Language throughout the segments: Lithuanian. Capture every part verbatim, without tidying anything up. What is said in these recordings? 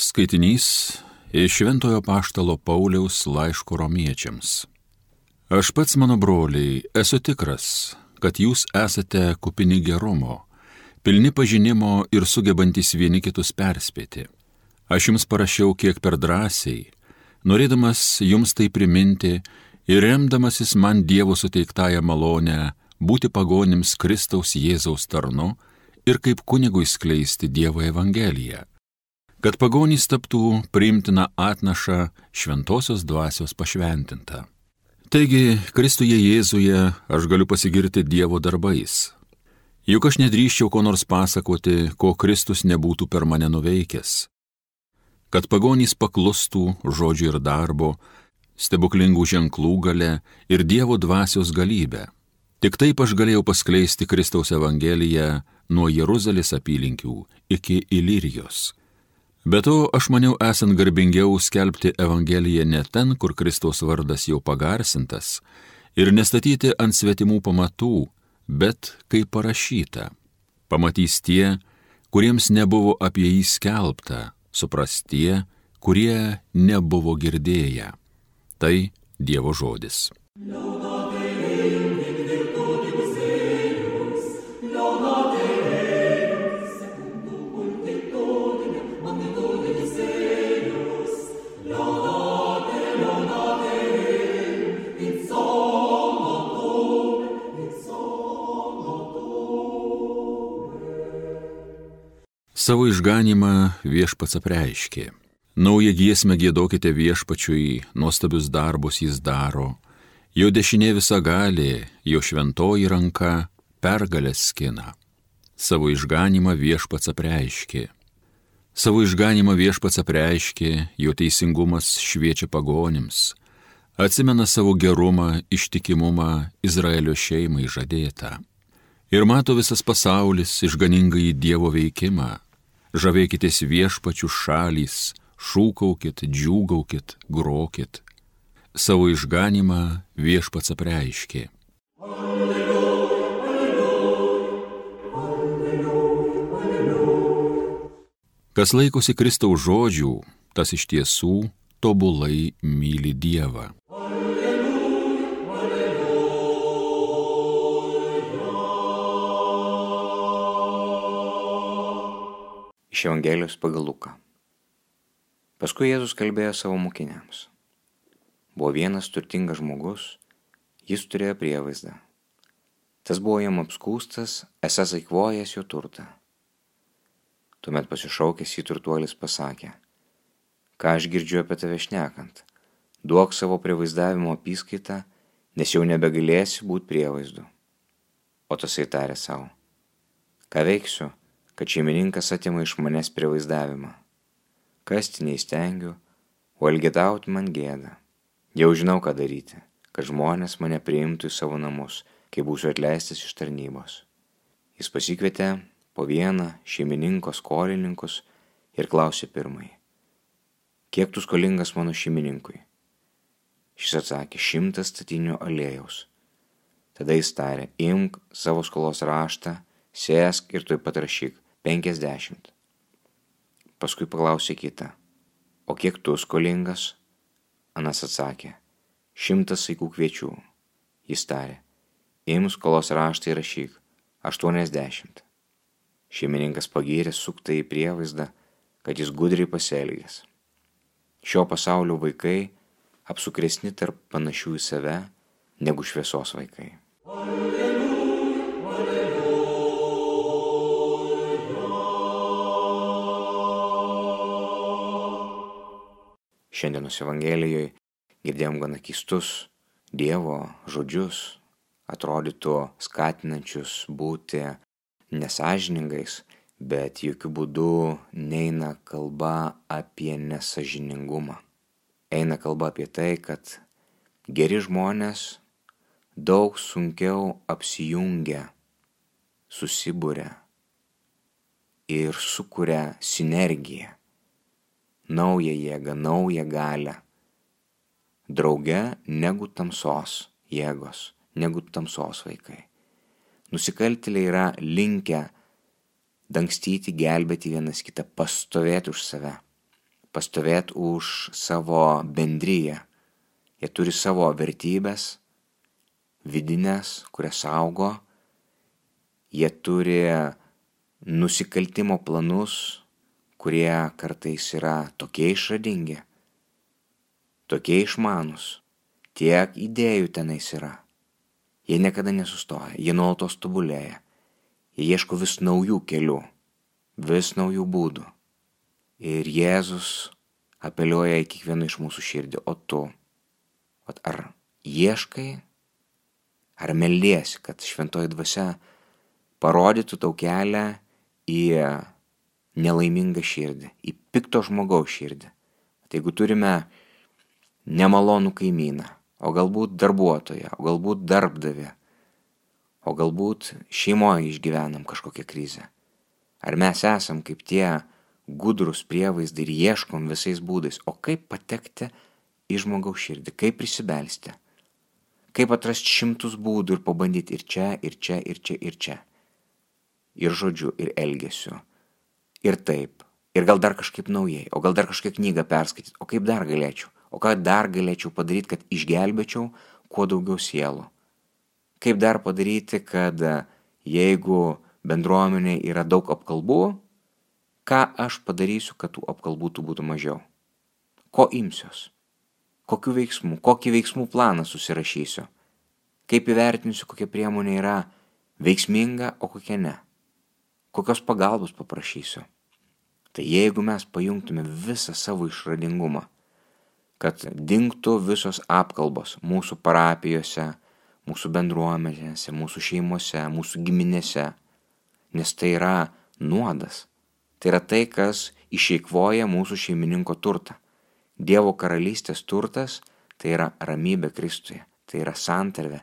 Skaitinys iš Šventojo apaštalo Pauliaus laiško romiečiams. Aš pats, mano broliai, esu tikras, kad jūs esate kupini gerumo, pilni pažinimo ir sugebantis vieni kitus perspėti. Aš jums parašiau kiek per drąsiai, norėdamas jums tai priminti ir remdamasis man Dievo suteiktąją malonę būti pagonims Kristaus Jėzaus tarnu ir kaip kunigui skleisti Dievo evangeliją, kad pagonys taptų priimtina atnaša šventosios dvasios pašventinta. Taigi, Kristuje Jėzuje aš galiu pasigirti Dievo darbais. Juk aš nedrįsčiau ko nors pasakoti, ko Kristus nebūtų per mane nuveikęs. Kad pagonys paklustų žodžių ir darbo, stebuklingų ženklų gale ir Dievo dvasios galybę. Tik taip aš galėjau paskleisti Kristaus evangeliją nuo Jeruzalės apylinkių iki Ilirijos. Be to, aš maniau esant garbingiau skelbti evangeliją ne ten, kur Kristaus vardas jau pagarsintas, ir nestatyti ant svetimų pamatų, bet kaip parašyta. Pamatys tie, kuriems nebuvo apie jį skelbta, supras tie, kurie nebuvo girdėję. Tai Dievo žodis. Savo išganymą viešpats apreiškė. Naują giesmę giedokite viešpačiui, nuostabius darbus jis daro. Jo dešinė visagalė, jo šventoji ranka pergalės skina. Savo išganymą viešpats apreiškė. Savo išganymą viešpats apreiškė, jo teisingumas šviečia pagonims. Atsimena savo gerumą, ištikimumą Izraelio šeimai žadėtą. Ir mato visas pasaulis išganingąjį Dievo veikimą. Žavėkitės viešpačių šalys, šūkaukit, džiūgaukit, grokit. Savo išganymą viešpats apreiškė. Alleluja, alleluja, alleluja. Kas laikosi Kristaus žodžių, tas iš tiesų tobulai myli Dievą. Iš Evangelijos pagal Luką. Paskui Jėzus kalbėjo savo mokiniams. Buvo vienas turtingas žmogus, jis turėjo prievaizdą. Tas buvo jam apskūstas, esąs eikvojęs jo turtą. Tuomet pasišaukęs jį turtuolis pasakė: ką aš girdžiu apie tave šnekant, duok savo prievaizdavimo apyskaitą, nes jau nebegalėsi būti prievaizdu. O tasai tarė savo: ką veiksiu, kad šeimininkas atima iš manęs prievaizdavimą. Kasti neįstengiu, o elgetauti man gėda. Jau žinau, ką daryti, kad žmonės mane priimtų į savo namus, kai būsiu atleistas iš tarnybos. Jis pasikvietė po vieną šeimininko skolininkus ir klausė pirmąjį: kiek tu skolingas mano šeimininkui? Šis atsakė: šimtas statinių aliejaus. Tada jis tarė: imk savo skolos raštą, sėsk ir tuoj pat rašyk penkiasdešimt. Paskui paklausė kitą: o kiek tu skolingas? Anas atsakė: šimtas saikų kviečių. Jis tarė: imk skolos raštą ir rašyk aštuoniasdešimt. Šeimininkas pagyrė suktąjį prievaizdą, kad jis gudriai pasielgęs. Šio pasaulio vaikai apsukresni tarp panašių į save negu šviesos vaikai. Šiandienos Evangelijoje girdėjom gana keistus Dievo žodžius, atrodytų skatinančius būti nesąžiningais, bet jokių būdų neina kalba apie nesąžiningumą. Eina kalba apie tai, kad geri žmonės daug sunkiau apsijungia, susiburia ir sukuria sinergiją, naują jėgą, naują galią, drauge negu tamsos jėgos, negu tamsos vaikai. Nusikaltėliai yra linkę dangstyti, gelbėti vienas kitą, pastovėti už save. pastovėti už savo bendryją. Jie turi savo vertybės, vidinės, kurias saugo. Jie turi nusikaltimo planus, kurie kartais yra tokie išradingi, tokie išmanus, tiek idėjų tenais yra. Jie niekada nesustoja, jie nuolatos tobulėja. Jie ieško vis naujų kelių, vis naujų būdų. Ir Jėzus apeliuoja į kiekvieną iš mūsų širdį. O tu, ar ieškai, ar meldiesi, kad šventoji dvasia parodytų tau kelią į nelaimingą širdį, į pikto žmogaus širdį. Tai jeigu turime nemalonų kaimyną, o galbūt darbuotoją, o galbūt darbdavį, o galbūt šeimoje išgyvenam kažkokią krizę. Ar mes esam kaip tie gudrus prievaizdai ir ieškom visais būdais, o kaip patekti į žmogaus širdį, kaip prisibelsti, kaip atrasti šimtus būdų ir pabandyti ir čia, ir čia, ir čia, ir čia. Ir žodžiu, ir elgesiu, ir taip, ir gal dar kažkaip naujai, o gal dar kažkokią knygą perskaityti, o kaip dar galėčiau, o ką dar galėčiau padaryti, kad išgelbėčiau kuo daugiau sielų. Kaip dar padaryti, kad jeigu bendruomenė yra daug apkalbų, ką aš padarysiu, kad tų apkalbų būtų mažiau? Ko imsiuos? Kokių veiksmų, kokį veiksmų planą susirašysiu? Kaip įvertinsiu, kokia priemonė yra veiksminga, o kokia ne? Kokios pagalbos paprašysiu? Tai jeigu mes pajungtume visą savo išradingumą, kad dingtų visos apkalbos mūsų parapijose, mūsų bendruomenėse, mūsų šeimose, mūsų giminėse, nes tai yra nuodas. Tai yra tai, kas išeikvoja mūsų šeimininko turtą. Dievo karalystės turtas tai yra ramybė Kristuje, tai yra santarvė,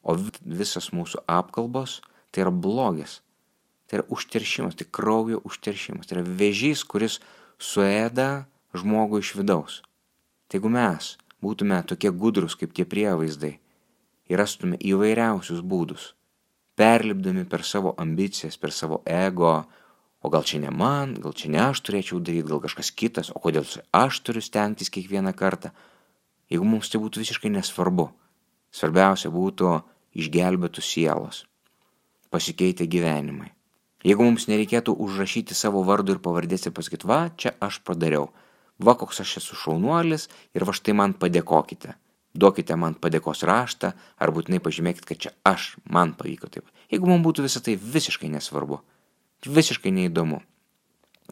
o visas mūsų apkalbos tai yra blogis, tai yra užteršimas, tai kraujo užteršimas, tai yra vėžys, kuris suėda žmogų iš vidaus. Tai jeigu mes būtume tokie gudrus kaip tie prievaizdai ir rastume įvairiausius būdus, perlipdami per savo ambicijas, per savo ego, o gal čia ne man, gal čia ne aš turėčiau daryti, gal kažkas kitas, o kodėl aš turiu stengtis kiekvieną kartą. Jeigu mums tai būtų visiškai nesvarbu, svarbiausia būtų išgelbėtų sielos, pasikeitę gyvenimai. Jeigu mums nereikėtų užrašyti savo vardų ir pavardės ir pasakyti, va, čia aš padariau, va, koks aš esu šaunuolis ir va štai man padėkokite. Duokite man padėkos raštą ar būtinai pažymėkit, kad čia aš, man pavyko taip. Jeigu mums būtų visą tai visiškai nesvarbu, visiškai neįdomu,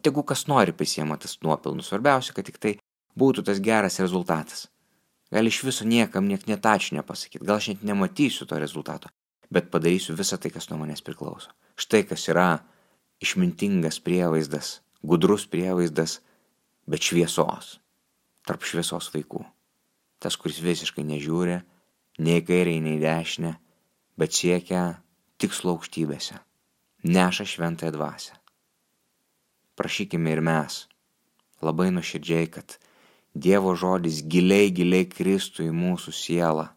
tegu kas nori prisiema tas nuopelnus, svarbiausia, kad tik tai būtų tas geras rezultatas. Gal iš viso niekam niek net ačiū nepasakyti, gal aš net nematysiu to rezultato, bet padarysiu visą tai, kas nuo manęs priklauso. Štai kas yra išmintingas prievaizdas, gudrus prievaizdas, bet šviesos, tarp šviesos vaikų. Tas, kuris visiškai nežiūri, nei kairiai, nei dešinę, bet siekia tikslo aukštybėse, neša šventąją dvasią. Prašykime ir mes, labai nuoširdžiai, kad Dievo žodis giliai, giliai kristų į mūsų sielą,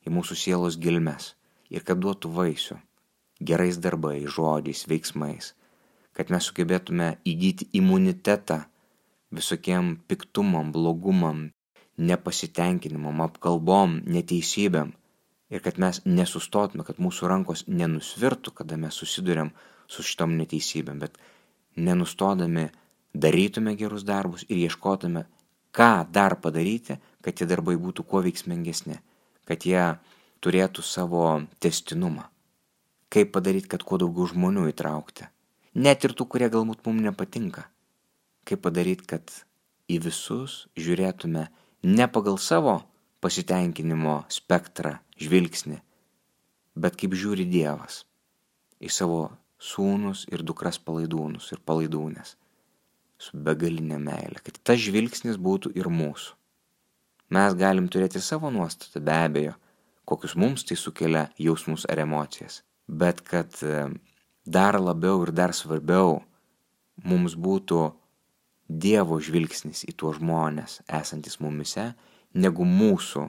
į mūsų sielos gilmes ir kad duotų vaisių, gerais darbais, žodžiais, veiksmais, kad mes sugebėtume įgyti imunitetą visokiem piktumam, blogumam, nepasitenkinimam, apkalbom, neteisybėm ir kad mes nesustotume, kad mūsų rankos nenusvirtų, kada mes susiduriam su šitom neteisybėm, bet nenustodami darytume gerus darbus ir ieškotume, ką dar padaryti, kad tie darbai būtų kuo veiksmingesni, kad jie turėtų savo testinumą. Kaip padaryti, kad kuo daugiau žmonių įtraukti, net ir tų, kurie galbūt mums nepatinka. Kaip padaryti, kad į visus žiūrėtume ne pagal savo pasitenkinimo spektrą, žvilgsnį, bet kaip žiūri Dievas į savo sūnus ir dukras palaidūnus ir palaidūnės su begalinė meilė, kad tas žvilgsnis būtų ir mūsų. Mes galim turėti savo nuostatą, be abejo, kokius mums tai sukelia jausmus ar emocijas, bet kad dar labiau ir dar svarbiau mums būtų Dievo žvilgsnis į tuos žmonės esantis mumise, negu mūsų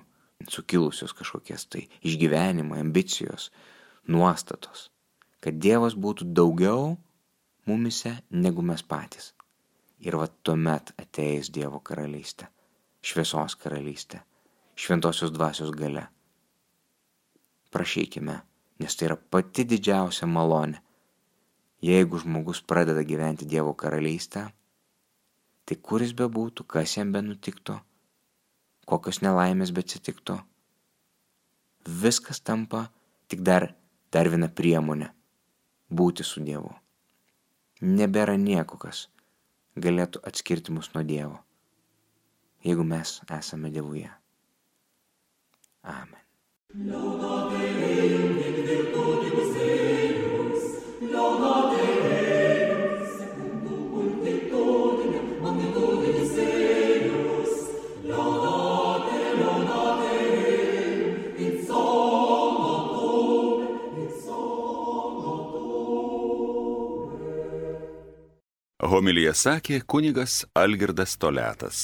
sukilusios kažkokias tai išgyvenimai, ambicijos, nuostatos. Kad Dievas būtų daugiau mumise negu mes patys. Ir va tuomet ateis Dievo karalystė, šviesos karalystė, šventosios dvasios galia. Prašykime, nes tai yra pati didžiausia malonė. Jeigu žmogus pradeda gyventi Dievo karalystę, tai kur jis bebūtų, kas jam benutiktų, kokios nelaimės beatsitiktų, viskas tampa tik dar, dar viena priemonė būti su Dievu. Nebėra nieko, kas galėtų atskirti mus nuo Dievo, jeigu mes esame Dievuje. Amen. Homiliją sakė kunigas Algirdas Toliatas.